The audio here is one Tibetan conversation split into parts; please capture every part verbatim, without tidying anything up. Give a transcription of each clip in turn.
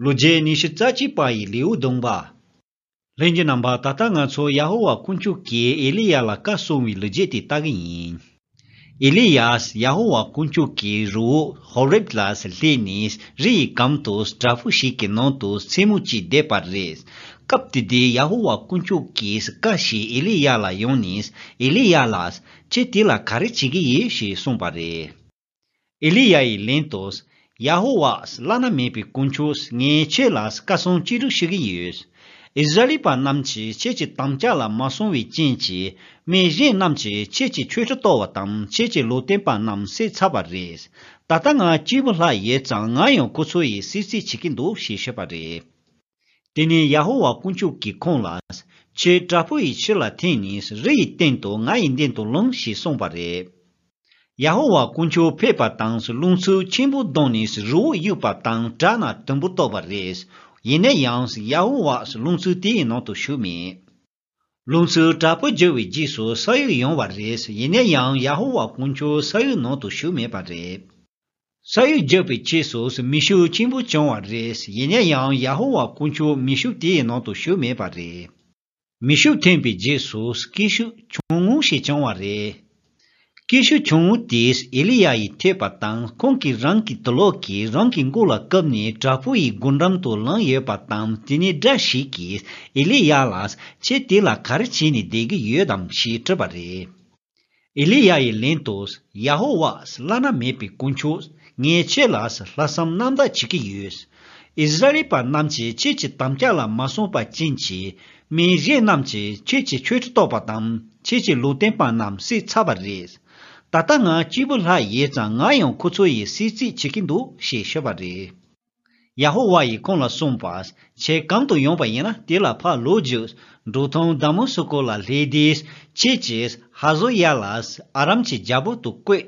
ལོ་རྒྱུས་ཉི་ཤུ་རྩ་གཅིག་པ་ཡི་ལེའུ་བདུན་པ། ལྷན་རྒྱས་རྣམ་པ། ད་ལྟ་ང་ཚོ་ཡ་ཧོ་ཝཱ་དཀོན་མཆོག་གིས་ཨེ་ལི་ཡཱ་ལ་བཀའ་གསུང་བའི་ལོ་རྒྱུས་དེ་ལྟ་གི་ཡིན། ཨེ་ལི་ཡཱས་ཡ་ཧོ་ཝཱ་དཀོན་མཆོག་གི་རི་བོ་ཧོ་རེབ་ལ་སླེབས་ནས་རི་ཡི་གམ་དུ་བྲག་ཕུག་ཞིག་གི་ནང་དུ་མཚན་མོ་གཅིག་བསྡད་པ་རེད། སྐབས་དེ་དུས་ཡ་ཧོ་ཝཱ་དཀོན་མཆོག་གིས་བཀའ་ཞིག་ཨེ་ལི་ཡཱ་ལ་ཡོང་ནས། ཨེ་ལི་ཡཱ་ལགས། ཁྱེད་དེ་ལ་ག་རེ་བྱེད་ཀྱི་ཡོད་ཞེས་གསུངས་པ་རེད། ཨེ་ལི་ཡཱ་ཡིས་ལན་དུ། ཡ་ཧོ་ཝཱ་བླ་ན་མེད་པའི་དཀོན་མཆོག་ངས་ཁྱེད་ལ་བཀའ་གསུང་ཅི་སྒྲུབ་ཞུ་གི་ཡོད། ཨིསི་ར་ཨེལ་པ་རྣམས་ཀྱིས་ཁྱེད་ཀྱི་དམ་བཅའ་ལ་མ་སྲུང་བའི་རྐྱེན་གྱིས། མི་གཞན་རྣམས་ཀྱིས་ཁྱེད་ཀྱི་མཆོད་ཁྲི་གཏོར་བ་དང་ཁྱེད་ཀྱི་ལུང་སྟོན་པ་རྣམས་བསད་ཚར་བ་རེད། ད་ལྟ་ང་གཅིག་པུ་ལྷག་ཡོད་ཙང་ང་ཡང་ཁོ་ཚོ་ཡི་བསད་རྩིས་བྱེད་ཀྱི་འདུག་ཞེས་ཤོད་པ་རེད། དེ་ནས་ཡ་ཧོ་ཝཱ་དཀོན་མཆོག་གིས་ཁོང་ལ། ཁྱེད་བྲག་ཕུག་ཡི་ཕྱི་ལ་འཐེན་ནས་རི་ཡི་སྟེང་དུ་ང་ཡི་མདུན་དུ་ལོངས་ཞེས་གསུངས་པ་རེད། ཡ་ཧོ་ཝཱ་དཀོན་མཆོག་ཕེབས་པ་དང་རླུང་འཚུབ་ཆེན་པོ་ལྡང་ནས་རི་བོ་གཡུགས་པ་དང་བྲག་རྣམས་དུམ་བུ་གཏོར་བ་རེད། ཡིན་ན་ཡང་ཡ་ཧོ་ཝཱས་རླུང་འཚུབ་དེའི་ནང་དུ་ཞུགས་མེད། རླུང་འཚུབ་དྲག་པོ་རྒྱུ་བའི་རྗེས་སུ་ས་གཡོས་ཡོང་བ་རེད། ཡིན་ན་ཡང་ཡ་ཧོ་ཝཱ་དཀོན་མཆོག་ས་གཡོས་ནང་དུ་ཞུགས་མེད་པ་རེད། ས་གཡོས་རྒྱུ་བའི་རྗེས་སུ་མེ་ཤུགས་ཆེན་པོ་བྱུང་བ་རེད། ཡིན་ན་ཡང་ཡ་ཧོ་ཝཱ་དཀོན་མཆོག་མེ་ཤུགས་དེའི་ནང་དུ་ཞུགས་མེད་པ་རེད། མེ་ཤུགས་ཐོན་པའི་རྗེས་སུ་སྐད་ཤུགས་ཆུང་ངུ་ཞིག་བྱུང་བ་རེད། སྐད་ཤུགས་ཆུང་ངུ་དེས་ཨེ་ལི་ཡཱ་ཡི་ཐོས་པ་དང་ཁོང་གིས་རང་གི་དུག་ལོག་གིས་རང་གི་མགོ་ལ་བཀབ་ནས་བྲག་ཕུག་ཡི་སྒོ་འགྲམ་དུ་ལངས་ཡོད་པ་དང་། དེ་ནས་དགྲ་ཞིག་གིས་ཨེ་ལི་ཡཱ་ལ་ཁྱེད་དེ་ལ་ག་རེ་བྱས་ནས་བསྡད་ཀྱི་ཡོད་དམ་ཞེས་དྲིས་པ་རེད། ཨེ་ལི་ཡཱ་ཡིས་ལན་དུ། ཡ་ཧོ་ཝཱ་བླ་ན་མེད་པའི་དཀོན་མཆོག་ངས་ཁྱེད་ལ་ལྷག་བསམ་རྣམ་དག་བྱེད་ཀྱི་ཡོད། ཨིསི་ར་ཨེལ་པ་རྣམས་ཀྱིས་ཁྱེད་ཀྱི་དམ་བཅའ་ལ་མ་སྲུང་པ་ཅན་གྱི་མི་གཞན་རྣམས་ཀྱིས་ཁྱེད་ཀྱི་མཆོད་ཁྲི་གཏོར་བ་དང་ཁྱེད་ཀྱི་ལུང་སྟོན་པ་རྣམས་བསད་ཚར་བ་རེད། ད་ལྟ་ང་གཅིག་པུ་ལྷག་ཡོད་ཙང་ང་ཡང་ཁོ་ཚོ་ཡི་བསད་རྩིས་བྱེད་ཀྱི་འདུག་ཞེས་ཤོད་པ་རེད། ཡ་ཧོ་ཝཱ་ཡིས་ཁོང་ལ་གསུངས་པ། ཁྱེད་གང་དུ་ཡོང་པ་ཡིན་ན་དེ་ལ་ཕར་ལོག་རྒྱུགས། འབྲོག་ཐང་དཱ་མ་སི་ཀོ་ལ་སླེབས་དུས་ཁྱེད་ཀྱིས་ཧ་ཟོ་ཡ་ལ་ཨ་རམ་གྱི་རྒྱལ་པོ་དུ་བསྐོས།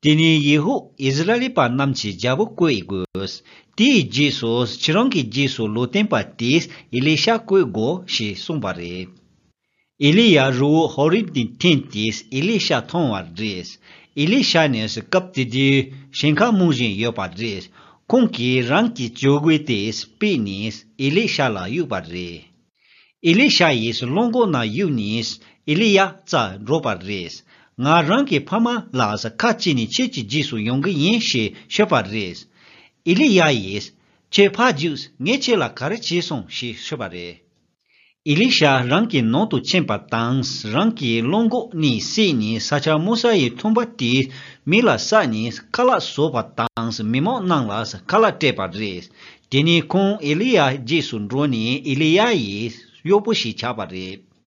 དེ་ནས་ཡེ་ཧུ་ཨིསི་ར་ཨེལ་པ་རྣམས་ཀྱི་རྒྱལ་པོ་བསྐོས་དགོས། དེའི་རྗེས་སུ་ཁྱེད་རང་གི་རྗེས་སུ་ལུང་སྟོན་པ་དེས་ཨེ་ལི་ཤ་བསྐོས་དགོས་ཞེས་གསུངས་པ་རེད། ཨེ་ལི་ཡཱ་རི་བོ་ཧོ་རིབ་ནས་འཐེན་ཏེ་ཨེ་ལི་ཤ་མཐོང་བ་རེད། ཨེ་ལི་ཤ་ནི་སྐབས་དེ་དུས་ཞིང་ཁ་རྨོ་བཞིན་ཡོད་པ་རེད། ཁོང་གིས་རང་གི་ཇོ་གོས་དེ་སྤེལ་ནས་ཨེ་ལི་ཤ་ལ་གཡུགས་པ་རེད། ཨེ་ལི་ཤ་ཡིས་གླང་གོག་ནང་གཡུགས་ནས་ཨེ་ལི་ཡཱ་རྩར་འགྲོ་བ་རེད། ང་རང་གི་ཕ་མ་ལ་ཁ་ཕྱེ་ནས་ཁྱེད་ཀྱི་རྗེས་སུ་ཡོང་གི་ཡིན་ཞེས་ཤོད་པ་རེད། ཨེ་ལི་ཡཱ་ཡིས་ཁྱེད་ཕར་རྒྱུགས། ངས་ཁྱེད་ལ་ག་རེ་བྱས་སོང་ཞེས་ཤོད་པ་རེད། ཨེ་ལི་ཤ་རང་གི་ནང་དུ་ཕྱིན་པ་དང་རང་གི་གླང་གོག་གཉིས་བསད་ནས་ས་ཆ་རྨོ་ས་ཡི་ཐུམ་པ་དེ་མེ་ལ་བསྲེགས་ནས་ཁ་ལག་བཟོས་པ་དང་མི་མང་རྣམས་ལ་ཁ་ལག་སྤྲད་པ་རེད། དེ་ནས་ཁོང་ཨེ་ལི་ཡཱ་རྗེས་སུ་འགྲོ་ནས་ཨེ་ལི་ཡཱ་ཡི་གཡོག་པོ་ཞིག་ཆགས་པ་རེད།